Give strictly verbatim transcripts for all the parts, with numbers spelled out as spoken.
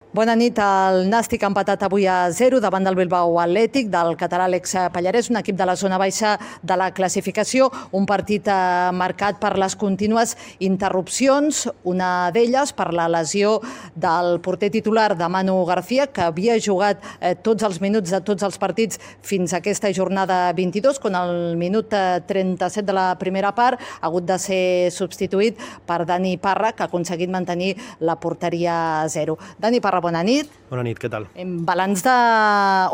Bona nit. El Nàstic ha empatat avui a zero davant del Bilbao Atlètic, del català Alex Pallarès, un equip de la zona baixa de la classificació. Un partit marcat per les contínues interrupcions, una d'elles per la lesió del porter titular de Manu García, que havia jugat tots els minuts de tots els partits fins a aquesta jornada vint-i-dos, quan al minut trenta-set de la primera part ha hagut de ser substituït per Dani Parra, que ha aconseguit mantenir la porteria a zero. Dani Parra, bona nit. Bona nit, què tal? Balanç de,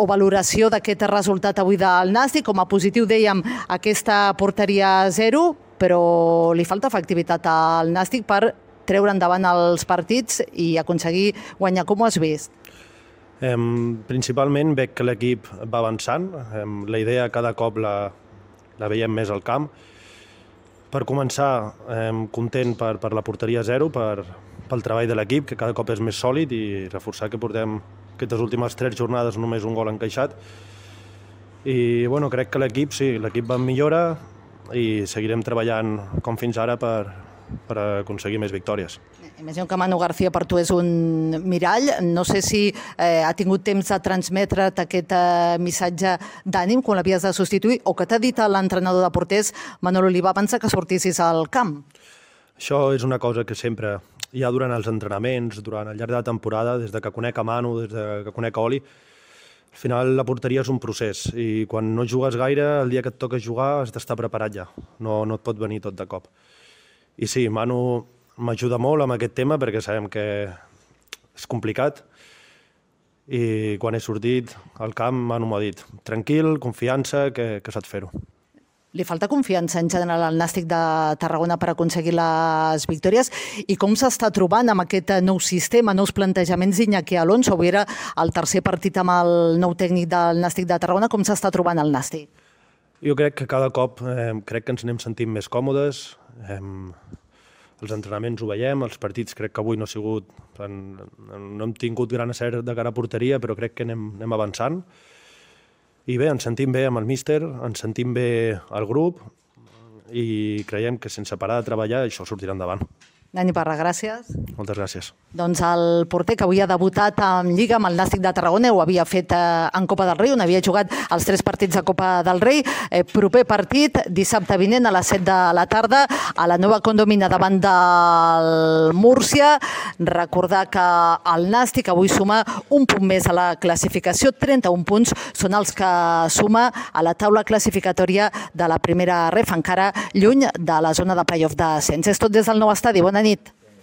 o valoració d'aquest resultat avui del Nàstic. Com a positiu dèiem aquesta porteria a zero, però li falta efectivitat al Nàstic per treure endavant els partits i aconseguir guanyar. Com ho has vist? Eh, principalment veig que l'equip va avançant. Eh, la idea cada cop la, la veiem més al camp. Per començar, eh, content per, per la porteria a zero, per, pel treball de l'equip, que cada cop és més sòlid, i reforçar que portem aquestes últimes tres jornades només un gol encaixat. I bueno, crec que l'equip, sí, l'equip va en millora i seguirem treballant com fins ara per, per aconseguir més victòries. Imagino que Manu García per tu és un mirall. No sé si eh, ha tingut temps de transmetre't aquest eh, missatge d'ànim quan l'havies de substituir, o que t'ha dit l'entrenador de porters, Manolo Oliva, abans que sortissis al camp. Això és una cosa que sempre, ja durant els entrenaments, durant el llarg de la temporada, des de que conec a Manu, des de que conec a Oli, al final la porteria és un procés, i quan no jugues gaire, el dia que et toca jugar has d'estar preparat ja, no, no et pot venir tot de cop. I sí, Manu m'ajuda molt amb aquest tema perquè sabem que és complicat, i quan he sortit al camp Manu m'ha dit tranquil, confiança, que, que saps fer-ho. Li falta confiança en general al Nàstic de Tarragona per aconseguir les victòries, i com s'està trobant amb aquest nou sistema, nous plantejaments d'Iñaki Alonso? Avui era el tercer partit amb el nou tècnic del Nàstic de Tarragona. Com s'està trobant el Nàstic? Jo crec que cada cop eh, crec que ens anem sentint més còmodes. Eh, els entrenaments ho veiem, els partits crec que avui no ha sigut, no hem tingut gran acert de cara a porteria, però crec que anem, anem avançant. I bé, ens sentim bé amb el míster, ens sentim bé al grup, i creiem que sense parar de treballar això sortirà endavant. Dani Parra, gràcies. Moltes gràcies. Doncs el porter que avui ha debutat en Lliga amb el Nàstic de Tarragona, ho havia fet en Copa del Rei, on havia jugat els tres partits de Copa del Rei. Eh, proper partit, dissabte vinent a les set de la tarda, a la nova condomina davant del Múrcia. Recordar que el Nàstic avui suma un punt més a la classificació, trenta-un punts són els que suma a la taula classificatòria de la primera ref, encara lluny de la zona de play-off d'ascens. És tot des del nou estadi. Bona nit.